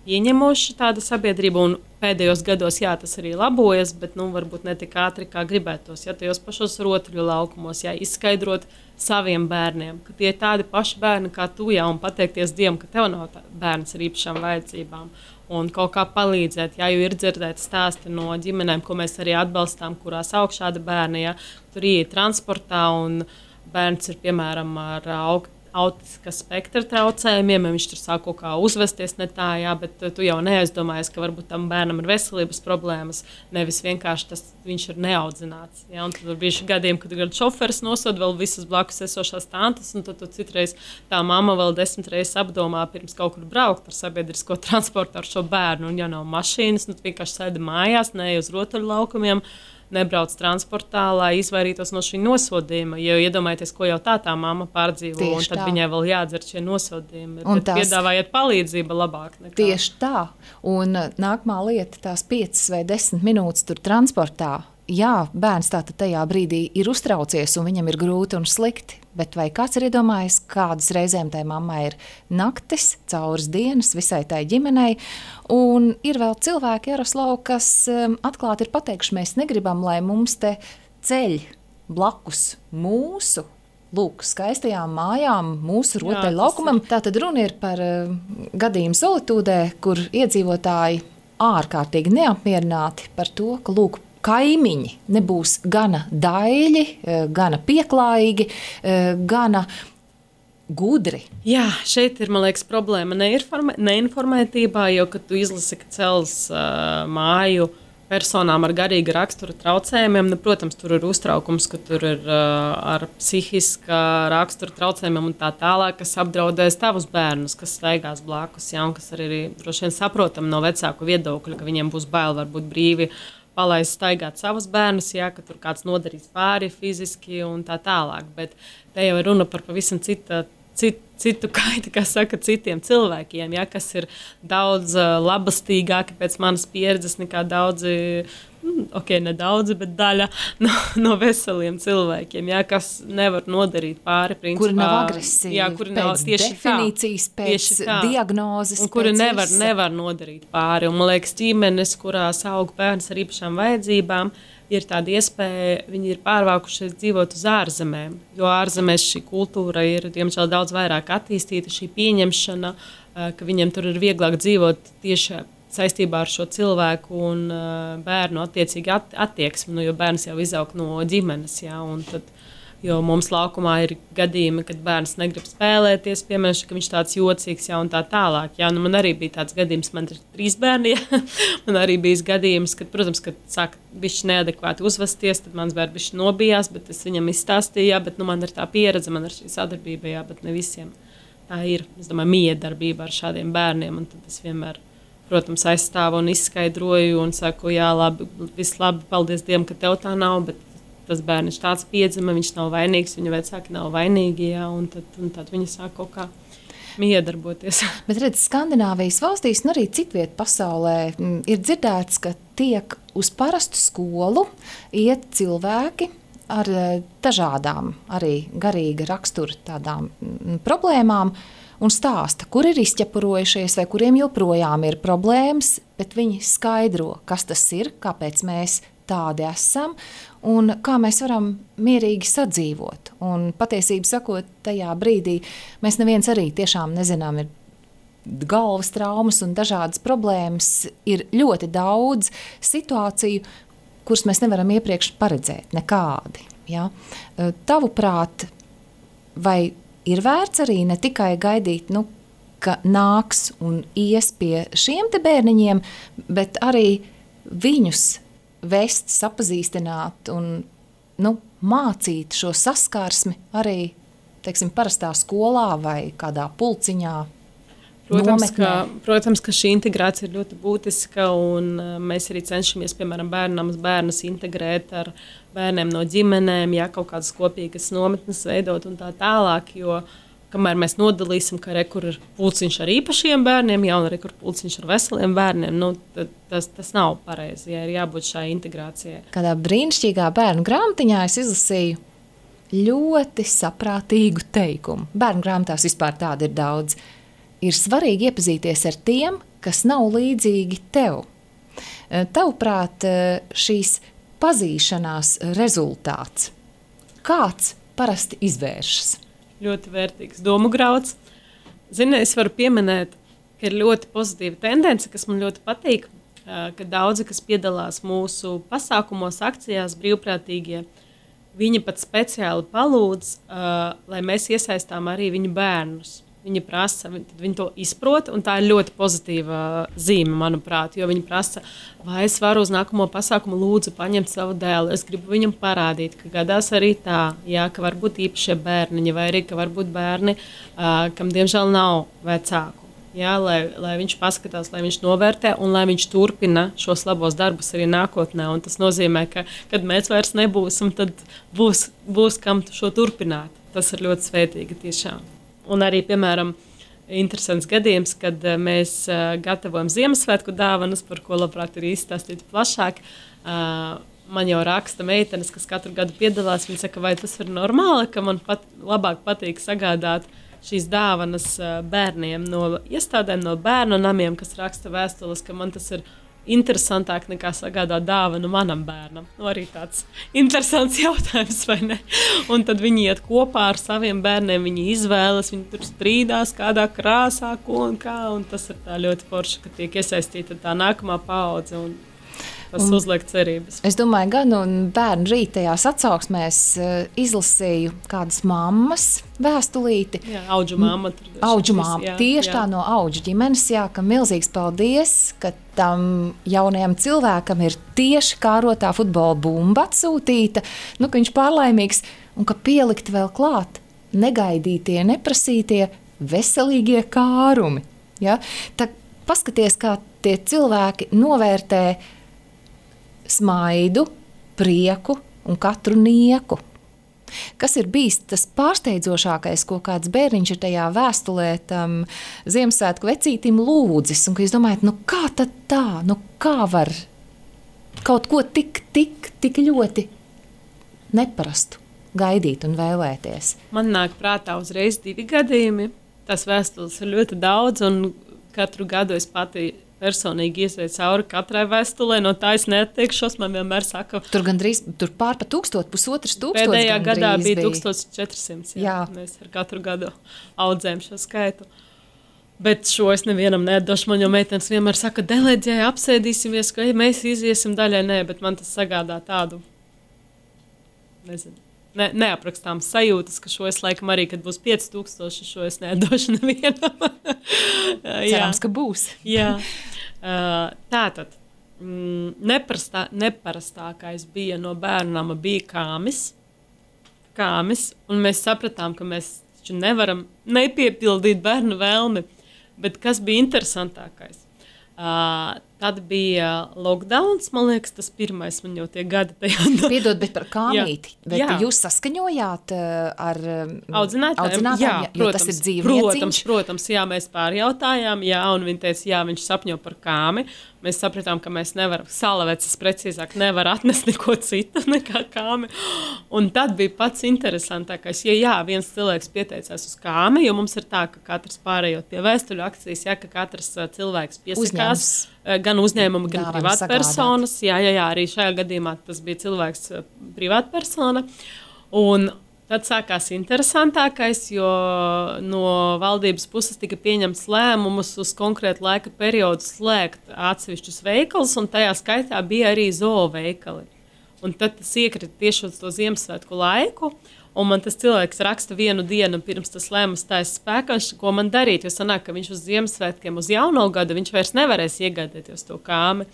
ieņemoši tāda sabiedrība, un pēdējos gados, jā, tas arī labojas, bet, varbūt ne tik ātri, kā gribētos, ja tajos pašos rotaļu laukumos, jā, izskaidrot saviem bērniem, ka tie ir tādi paši bērni kā tu, jā, un pateikties Dievam, ka tev nav bērns ar īpašām vajadzībām, un kaut kā palīdzēt, jā, jo ir dzirdēt stāsti no ģimenēm, ko mēs arī atbalstām, kurās aug šādi bērni, jā, tur iet transportā, un bērns ir, piemēram, ar autiska spektra traucējumiem, ja viņš tur sāk kaut kā uzvesties ne tā, jā, bet tu jau neaizdomājies, ka varbūt tam bērnam ir veselības problēmas, nevis vienkārši viņš ir neaudzināts. Jā, un tad bija gadījumi, kad šoferis nosod vēl visas blakus esošās tantes, un tad citreiz tā mamma vēl 10 reizes apdomā pirms kaut kur braukt ar sabiedrisko transportu ar šo bērnu, un ja nav mašīnas, vienkārši sēdi mājās, neej uz rotaļu laukumiem, nebrauc transportā, lai izvairītos no šī nosodījuma. Jo iedomājieties, ko jau tā mamma pārdzīvo, tieši un tad tā. Viņai vēl jādzer šie nosodījumi. Bet piedāvājiet palīdzību labāk nekā. Tieši tā. Un nākamā lieta, tās 5 vai 10 minūtes tur transportā. Jā, bērns tātad tajā brīdī ir uztraucies un viņam ir grūti un slikti, bet vai kāds ir iedomājies, kādas reizēm tai mammai ir naktis, cauras dienas visai tai ģimenei, un ir vēl cilvēki, Jaroslav, kas atklāti ir pateikuši, mēs negribam, lai mums te ceļ blakus mūsu, skaistajām mājām, mūsu rotaļu laukumam. Tātad runa ir par gadījumu Solitūdē, kur iedzīvotāji ārkārtīgi neapmierināti par to, ka kaimiņi nebūs gana daļi, gana pieklājīgi, gana gudri. Jā, šeit ir, man liekas, problēma neinformētībā, jo, kad tu izlasi, ka cels māju personām ar garīga rakstura traucējumiem, protams, tur ir uztraukums, ka tur ir ar psihiska rakstura traucējumiem un tā tālāk, kas apdraudēs tavus bērnus, kas staigās blakus, jā, un kas arī droši vien saprotam no vecāku viedokļa, ka viņiem būs bail varbūt brīvi palaist staigāt savus bērnus, ja, ka tur kāds nodarīs pāri fiziski un tā tālāk. Bet te jau ir runa par pavisam citu kaiti, kā saka, citiem cilvēkiem, ja, kas ir daudz labastīgāki pēc manas pieredzes nekā daudzi, nedaudzi, bet daļa no veseliem cilvēkiem, ja, kas nevar nodarīt pāri principā. Kuri nav agresīvi, jā, kuri nav tieši definīcijas, pēc diagnozes. Un kuri nevar nodarīt pāri. Un, man liekas, ģimenes, kurās aug bērns ar īpašām vajadzībām, ir tāda iespēja, viņi ir pārvākušies dzīvot uz ārzemēm, jo ārzemēs šī kultūra ir, diemžēl, daudz vairāk attīstīta, šī pieņemšana, ka viņiem tur ir vieglāk dzīvot tieši saistībā ar šo cilvēku un bērnu attiecīgi attieksmi, jo bērns jau izaug no ģimenes, jā, un tad, jo mums laukumā ir gadījumi, kad bērns negrib spēlēties, piemēram, ka viņš tāds jocīgs, jā, un tā tālāk, jā, man arī bija tāds gadījums, man ir 3 bērni, jā, man arī bija gadījums, kad, protams, kad sāka bišķi neadekvāti uzvesties, tad mans bērns bišķi nobijās, bet es viņam izstāstīju, jā, bet, man ir tā pieredze, man ir šī sadarbība, jā, bet ne visiem tā ir, es domāju, miedarbība ar šādiem bērniem, un tad es vienmēr, protams, aizstāvu un izskaidroju un saku, jā, labi, viss labi, paldies Dievam, ka tev tā nav, bet tas bērns tāds piedzima, viņš nav vainīgs, viņa vecāki nav vainīgi, jā, un tad viņi sāk kaut kā miedarboties. Bet redz, Skandināvijas valstīs un arī citviet pasaulē ir dzirdēts, ka tiek uz parastu skolu iet cilvēki ar dažādām arī garīga rakstura tādām problēmām, un stāsta, kur ir izķepurojušies vai kuriem joprojām ir problēmas, bet viņi skaidro, kas tas ir, kāpēc mēs tādi esam un kā mēs varam mierīgi sadzīvot. Un patiesību sakot, tajā brīdī mēs neviens arī tiešām nezinām, ir galvas traumas un dažādas problēmas, ir ļoti daudz situāciju, kuras mēs nevaram iepriekš paredzēt nekādi. Ja? Tavuprāt, vai ir vērts arī ne tikai gaidīt, ka nāks un ies pie šiem te bērniņiem, bet arī viņus vest, sapazīstināt un mācīt šo saskarsmi arī, teiksim, parastā skolā vai kādā pulciņā. Protams, ka šī integrācija ir ļoti būtiska, un mēs arī cenšamies, piemēram, bērnus integrēt ar bērniem no ģimenēm, ja kaut kādas kopīgas nometnes veidot un tā tālāk, jo kamēr mēs nodalīsim, ka kur ir pulciņš ar īpašiem bērniem, ja, un kur pulciņš ar veseliem bērniem, tas nav pareizi, ja ir jābūt šai integrācijai. Kādā brīnišķīgā bērnu grāmatiņā es izlasīju ļoti saprātīgu teikumu. Bērnu grāmatās vispār tāda ir daudz. Ir svarīgi iepazīties ar tiem, kas nav līdzīgi tev. Tavuprāt, šīs pazīšanās rezultāts, kāds parasti izvēršas? Ļoti vērtīgs domu grauds. Zini, es varu pieminēt, ka ir ļoti pozitīva tendence, kas man ļoti patīk, ka daudzi, kas piedalās mūsu pasākumos, akcijās, brīvprātīgie, viņi pat speciāli palūdz, lai mēs iesaistām arī viņu bērnus. Viņi prasa, viņi to izprot, un tā ir ļoti pozitīva zīme, manuprāt, jo viņi prasa, vai es varu uz nākamo pasākumu lūdzu paņemt savu dēlu. Es gribu viņam parādīt, ka gadās arī tā, jā, ka var būt īpašie bērniņi, vai arī, ka var būt bērni, kam diemžēl nav vecāku. Jā, lai viņš paskatās, lai viņš novērtē un lai viņš turpina šos labos darbus arī nākotnē. Un tas nozīmē, ka, kad mēs vairs nebūsim, tad būs kam šo turpināt. Tas ir ļoti svētīgi tiešām. Un arī, piemēram, interesants gadījums, kad mēs gatavojam Ziemassvētku dāvanas, par ko labprāt ir izstāstīt plašāk. Man jau raksta meitenes, kas katru gadu piedalās. Viņa saka, vai tas ir normāli, ka man labāk patīk sagādāt šīs dāvanas bērniem no iestādēm, no bērnu namiem, kas raksta vēstules, ka man tas ir interesantāk nekā sagādāt dāvanu manam bērnam. Arī tāds interesants jautājums, vai ne? Un tad viņi iet kopā ar saviem bērniem, viņi izvēlas, viņi tur strīdās kādā krāsā, ko un kā, un tas ir tā ļoti forši, ka tiek iesaistīta tā nākamā paudze, un tas uzliek cerības. Es domāju, gan un bērnu rītajās atsauksmēs izlasīju kādas mammas vēstulīti. Jā, auģu mamma. Auģu mamma, tieši tā no auģu ģimenes, jā, ka milzīgs paldies, ka tam jaunajam cilvēkam ir tieši kārotā futbola bumba atsūtīta, ka viņš pārlaimīgs, un ka pielikt vēl klāt negaidītie, neprasītie veselīgie kārumi. Ja? Tā paskaties, kā tie cilvēki novērtē smaidu, prieku un katru nieku. Kas ir bijis tas pārsteidzošākais, ko kāds bērniņš ir tajā vēstulē tam Ziemassvētku vecītim lūdzis? Un ka jūs domājat, kā tad tā, kā var kaut ko tik ļoti neparastu gaidīt un vēlēties? Man nāk prātā uzreiz 2 gadījumi. Tas vēstules ir ļoti daudz, un katru gadu es pati personīgi iesēju cauri katrai vēstulē. No tā es neatteikšos. Man vienmēr saka, tur pār pa 1000, 1500. Pēdējā gadā bija 1400. Jā. Mēs ar katru gadu audzējam šo skaitu. Bet šo es nevienam nedošu. Man jau meitenes vienmēr saka, deleģēji, apsēdīsimies, ka mēs iziesim daļai. Nē, bet man tas sagādā tādu, nezinu, neaprakstām sajūtas, ka šo es laikam arī, kad būs 5000, šo es nedošu nevienam. Cerams, ka būs. Jā. Tātad, neparastākais bija no bērnama bija kāmis, un mēs sapratām, ka mēs nevaram nepiepildīt bērnu vēlmi. Bet kas bija interesantākais? Tad bija lockdowns, man liekas, tas pirmais, man jau tie gadi tajā. Piedod, bet par kāmīti. Bet jūs saskaņojāt ar audzinātājiem? Jā, jo tas ir dzīvnieciņš. Protams, jā, mēs pārjautājām, jā, un viņi teica, jā, viņš sapņo par kāmi. Mēs sapratām, ka mēs nevaram, salavecis precīzāk, nevar atnest neko citu nekā kāmi. Un tad bija pats interesantākais, viens cilvēks pieteicās uz kāmi, jo mums ir tā, ka katrs pārējot pie vēstuļu akcijas, ka katrs cilvēks piesakās, gan uzņēmumi, gan privātpersonas. Jā, arī šajā gadījumā tas bija cilvēks privātpersona. Un tad sākās interesantākais, jo no valdības puses tika pieņemts lēmumus uz konkrētu laika periodu slēgt atsevišķus veikalus, un tajā skaitā bija arī zooveikali. Un tad tas iekrita tieši uz to Ziemassvētku laiku, un man tas cilvēks raksta 1 dienu pirms tas lēmums stājas spēkā, ko man darīt, jo sanāk, ka viņš uz Ziemassvētkiem, uz jauno gadu, viņš vairs nevarēs iegādēties to kāmi.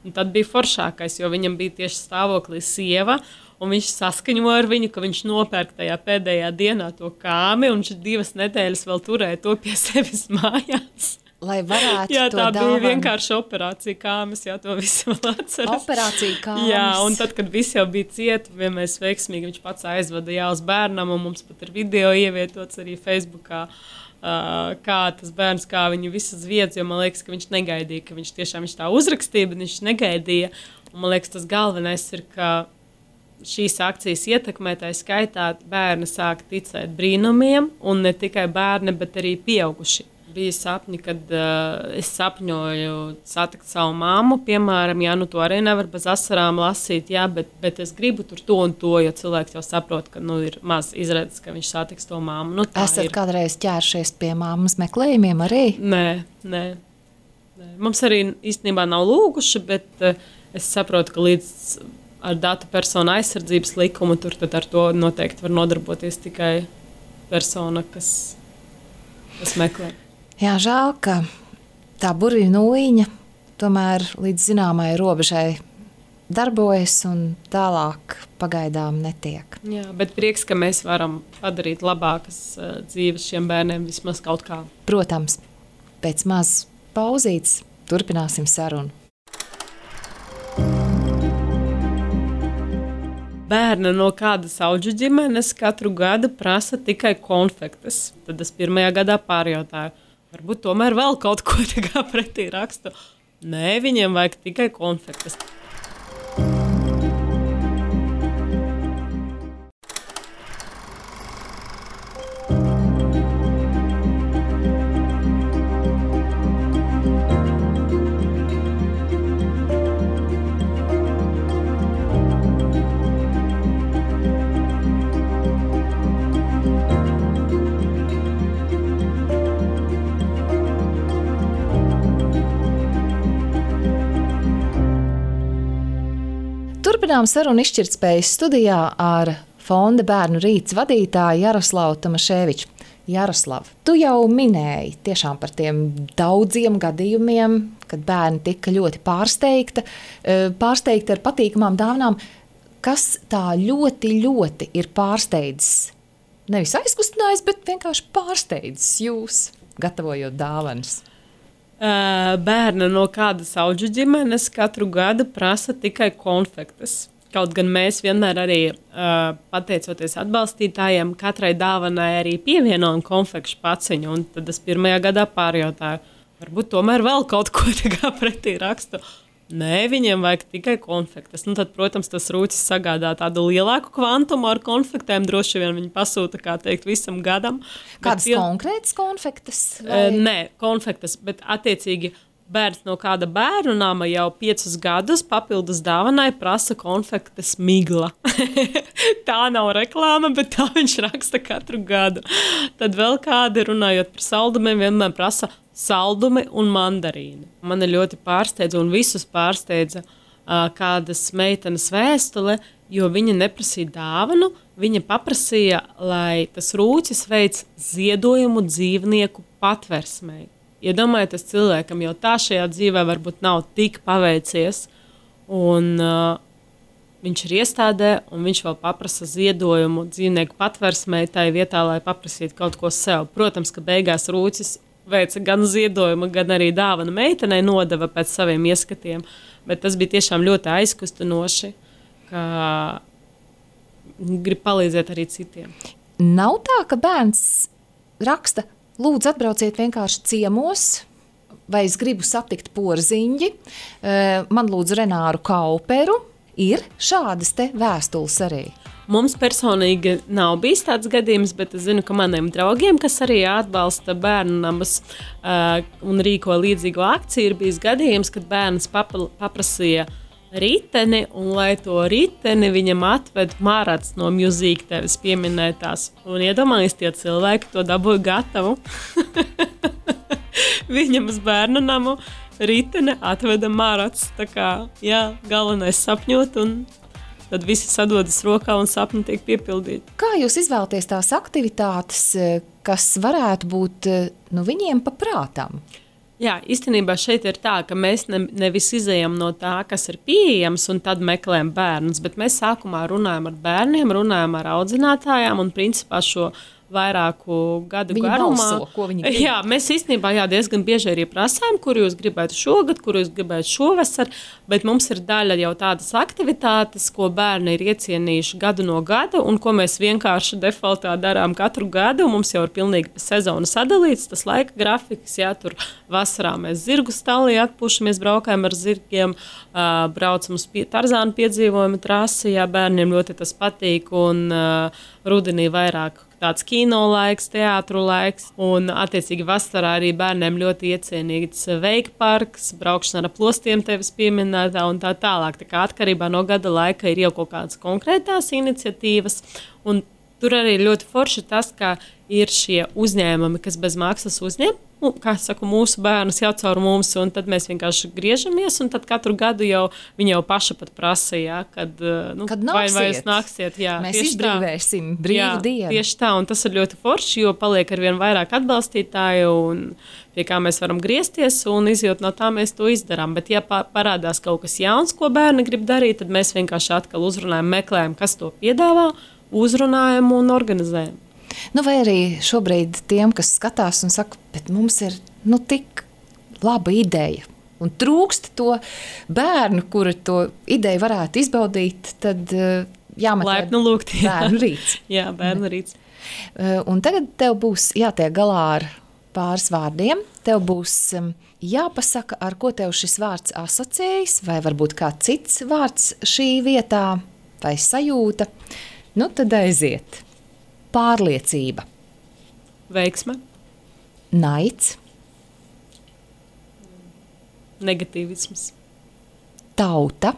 Un tad bija foršākais, jo viņam bija tieši stāvoklī sieva, un viņš saskaņoja ar viņu, ka viņš nopērk tajā pēdējā dienā to kāmi, un viņš 2 nedēļas vēl turēja to pie sevis mājās. Lai varētu to tā bija vienkārši operācija kāmis, to visi vēl atceras. Operācija kāmis. Jā, un tad, kad visi jau bija cieti, mēs veiksmīgi, viņš pats aizvada uz bērnam, un mums pat ir video ievietots arī Facebookā, kā tas bērns, kā viņu visas vietas, jo man liekas, ka viņš negaidīja, ka viņš tiešām tā uzrakstīja, bet viņš negaidīja. Un man liekas, tas galvenais ir, ka šīs akcijas ietekmētāji skaitā bērni sāk ticēt brīnumiem, un ne tikai bērni, bet arī pieauguši. Bija sapņi, kad es sapņoju satikt savu māmu, piemēram, to arī nevar bez asarām lasīt, bet es gribu tur to un to, jo cilvēks jau saprot, ka ir maz izredzes, ka viņš satiks to māmu. Esat kādreiz ķēršies pie māmas meklējumiem arī? Nē. Mums arī īstenībā nav lūguši, bet es saprotu, ka līdz ar datu personu aizsardzības likumu tur tad ar to noteikti var nodarboties tikai persona, kas meklē. Jā, žēl, ka tā burvju nūjiņa tomēr līdz zināmai robežai darbojas un tālāk pagaidām netiek. Jā, bet prieks, ka mēs varam padarīt labākas dzīves šiem bērniem vismaz kaut kā. Protams, pēc maz pauzītes turpināsim sarunu. Bērni no kādas audžu ģimenes katru gadu prasa tikai konfektes. Tad es pirmajā gadā pārjautāju, varbūt tomēr vēl kaut ko pretī rakstu. Nē, viņiem vajag tikai konfektes. Turpinām sarunu izšķirtspējas studijā ar Fonda Bērnu rīts vadītāju Jaroslavu Tomaševiču. Jaroslav, tu jau minēji tiešām par tiem daudziem gadījumiem, kad bērni tika ļoti pārsteigti ar patīkamām dāvanām. Kas tā ļoti, ļoti ir pārsteidzis? Nevis aizkustinājis, bet vienkārši pārsteidzis jūs, gatavojot dāvanas. bērna no kādas audžu ģimenes katru gadu prasa tikai konfektes. Kaut gan mēs vienmēr arī, pateicoties atbalstītājiem, katrai dāvanai arī pievienojam konfekšu paciņu. Un tad es pirmajā gadā pārjautāju, varbūt tomēr vēl kaut ko pretī rakstu. Nē, viņiem vajag tikai konfektes. Nu, tad, protams, tas rūcis sagādā tādu lielāku kvantumu ar konfektēm. Droši vien viņi pasūta, kā teikt, visam gadam. Kādas konkrētas konfektes? Vai? Nē, konfektes, bet attiecīgi bērns no kāda bērnu nama jau 5 gadus papildus dāvanai prasa konfektes migla. Tā nav reklāma, bet tā viņš raksta katru gadu. Tad vēl kādi, runājot par saldumiem, vienmēr prasa saldumi un mandarīni. Mani ļoti pārsteidza un visus pārsteidza kādas meitenes vēstule, jo viņa neprasīja dāvanu, viņa paprasīja, lai tas rūcis veic ziedojumu dzīvnieku patversmei. Iedomājieties, cilvēkam jau tā šajā dzīvē varbūt nav tik paveicies, un viņš ir iestādē, un viņš vēl paprasa ziedojumu dzīvnieku patversmei tai vietā, lai paprasītu kaut ko sev. Protams, ka beigās rūcis veica gan ziedojumu, gan arī dāvanu meitenei nodeva pēc saviem ieskatiem, bet tas bija tiešām ļoti aizkustinoši, ka grib palīdzēt arī citiem. Nav tā, ka bērns raksta, lūdzu atbrauciet vienkārši ciemos, vai es gribu satikt porziņģi, man lūdzu Renāru Kauperu, ir šādas te vēstules arī. Mums personīgi nav bijis tāds gadījums, bet es zinu, ka maniem draugiem, kas arī atbalsta bērnu namus un rīko līdzīgo akciju, ir bijis gadījums, kad bērns paprasīja riteni, un lai to riteni viņam atved Marats no Music tevis pieminētās. Un iedomājies, tie cilvēki to dabūja gatavu. Viņam uz bērnu namu riteni atveda Marats. Tā kā, jā, galvenais sapņot un tad visi sadodas rokā un sapņi tiek piepildīti. Kā jūs izvēlaties tās aktivitātes, kas varētu būt viņiem paprātām? Jā, īstenībā šeit ir tā, ka mēs nevis izejam no tā, kas ir pieejams, un tad meklējam bērnus, bet mēs sākumā runājam ar bērniem, runājam ar audzinātājām un principā šo vairāku gadu garumā. Balso, ko viņi grib. Jā, mēs īstenībā diezgan bieži arī prasām, kur jūs gribētu šogad, kur jūs gribētu šovasar, bet mums ir daļa jau tādas aktivitātes, ko bērni ir iecienījuši gadu no gada un ko mēs vienkārši defaultā darām katru gadu. Mums jau ir pilnīgi pa sezonu sadalīts tas laika grafiks, jā, tur vasarā mēs zirgu stalī atpūšamies, braukājam ar zirgiem, braucam uz Tarzānu piedzīvojumu trasi, jā, bērniem ļoti tas patīk un rudenī vairāk tāds kino laiks, teātru laiks, un attiecīgi vasarā arī bērniem ļoti iecienīgs veika parks, braukšana ar plostiem tevis pieminētā un tā tālāk. Tā kā atkarībā no gada laika ir jau kaut kādas konkrētās iniciatīvas, un tur arī ļoti forši tas, ka ir šie uzņēmumi, kas bez maksas uzņem, kā saku, mūsu bērnus jau caur mums, un tad mēs vienkārši griežamies, un tad katru gadu jau viņi jau paši pat prasa, jā, kad vai jūs nāksiet. Jā, mēs izbrīvēsim brīvu dienu. Tieši tā, un tas ir ļoti forši, jo paliek arvien vairāk atbalstītāju, un pie kā mēs varam griezties, un izjūt no tā mēs to izdarām. Bet ja parādās kaut kas jauns, ko bērni grib darīt, tad mēs vienkārši atkal uzrunājam, meklējam, kas to piedāvā, uzrunājam un organizējam. Vai arī šobrīd tiem, kas skatās un saka, bet mums ir tik laba ideja un trūkst to bērnu, kuri to ideju varētu izbaudīt, tad jāmeklē laipni lūgt, bērnu rīts. Jā, bērnu rīts. Un tagad tev būs jātiek galā ar pāris vārdiem. Tev būs jāpasaka, ar ko tev šis vārds asociējas, vai varbūt kāds cits vārds šī vietā, vai sajūta. Tad aiziet. Pārliecība. Veiksme. Naids. Negatīvisms. Tauta.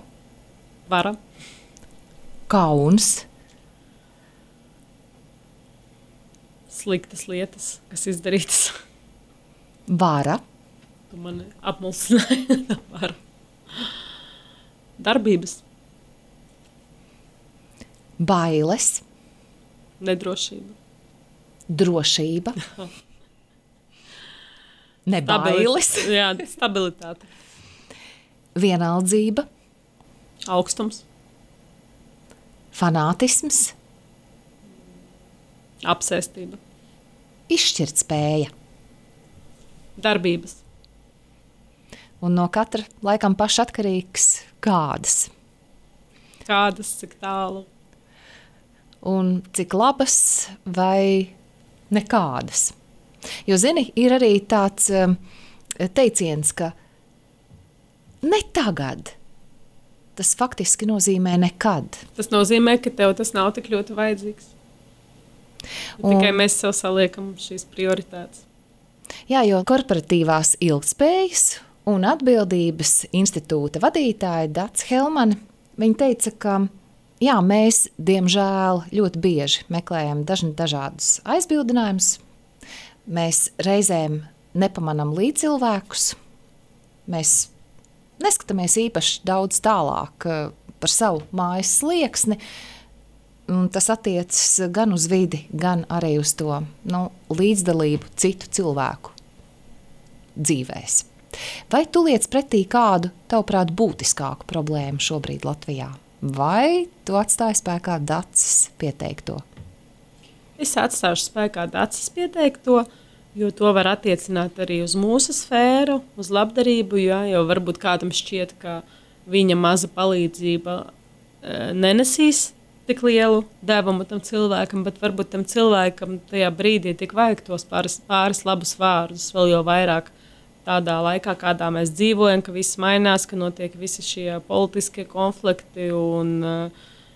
Vara. Kauns. Sliktas lietas, kas izdarītas. Vara. Tu mani apmulsināji. Vara. Darbības. Bailes. Nedrošība. Drošība. Nebailes. Jā, stabilitāte. Vienaldzība. Augstums. Fanātisms. Apsēstība. Izšķirtspēja. Darbības. un no katra laikam pašatkarīgs kādas. Kādas, cik tālu. Un cik labas vai nekādas. Jo, zini, ir arī tāds teiciens, ka ne tagad. Tas faktiski nozīmē nekad. Tas nozīmē, ka tev tas nav tik ļoti vajadzīgs. Tikai mēs sev saliekam šīs prioritātes. Jā, jo korporatīvās ilgtspējas un atbildības institūta vadītāja Dats Helmane, viņa teica, ka jā, mēs, diemžēl, ļoti bieži meklējam dažādus aizbildinājumus. Mēs reizēm nepamanām līdzcilvēkus. Mēs neskatāmies īpaši daudz tālāk par savu mājas slieksni. Un tas attiecas gan uz vidi, gan arī uz to līdzdalību citu cilvēku dzīvēs. Vai tu liec pretī kādu, tavuprāt, būtiskāku problēmu šobrīd Latvijā? Vai tu atstāji spēkā Dacis pieteikto? Es atstāšu spēkā Dacis pieteikto, jo to var attiecināt arī uz mūsu sfēru, uz labdarību, jo varbūt kādam šķiet, ka viņa maza palīdzība nenesīs tik lielu devumu tam cilvēkam, bet varbūt tam cilvēkam tajā brīdī tik vajag tos pāris labus vārdus, vēl jau vairāk tādā laikā, kādā mēs dzīvojam, ka viss mainās, ka notiek visi šie politiskie konflikti un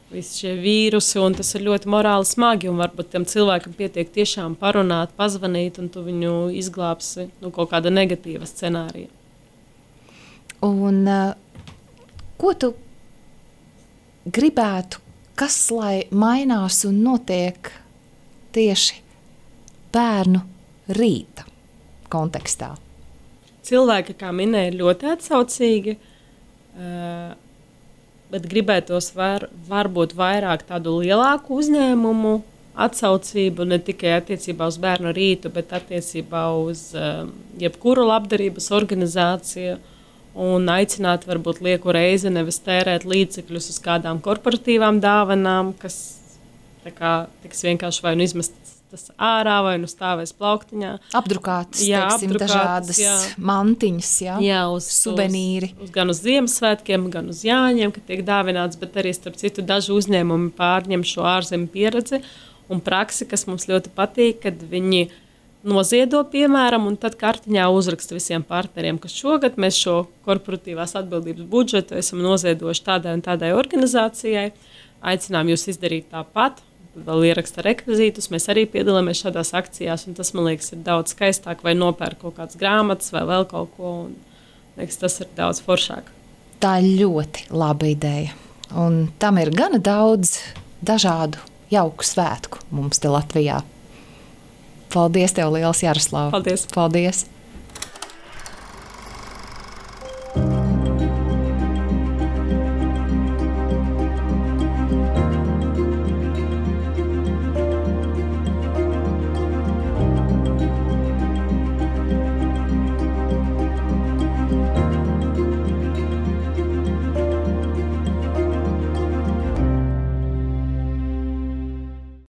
visi šie vīrusi, un tas ir ļoti morāli smagi, un varbūt tam cilvēkam pietiek tiešām parunāt, pazvanīt, un tu viņu izglābsi kaut kāda negatīva scenārija. Un ko tu gribētu, kas lai mainās un notiek tieši bērnu rīta kontekstā? Cilvēki, kā minēja, ir ļoti atsaucīgi, bet gribētos varbūt vairāk tādu lielāku uzņēmumu atsaucību, ne tikai attiecībā uz bērnu rītu, bet attiecībā uz jebkuru labdarības organizāciju un aicināt varbūt lieku reizi nevis tērēt līdzekļus uz kādām korporatīvām dāvanām, kas tiks vienkārši vai nu izmestas tas ārā, vai nu stāvēs plauktiņā. Apdrukātas, dažādas mantiņas, suvenīri. Gan uz Ziemassvētkiem, gan uz Jāņiem, kad tiek dāvināts, bet arī, starp citu, daži uzņēmumi pārņem šo ārzemju pieredzi un praksi, kas mums ļoti patīk, kad viņi noziedo, piemēram, un tad kartiņā uzraksta visiem partneriem, ka šogad mēs šo korporatīvās atbildības budžetu esam noziedojuši tādai un tādai organizācijai. Aicinām jūs izdarīt tāpat. Tad vēl ieraksta rekvizītus, mēs arī piedalāmies šādās akcijās, un tas, man liekas, ir daudz skaistāk, vai nopērk kaut kādas grāmatas, vai vēl kaut ko, un liekas, tas ir daudz foršāk. Tā ir ļoti laba ideja, un tam ir gana daudz dažādu jauku svētku mums te Latvijā. Paldies tev liels, Jaroslava! Paldies! Paldies.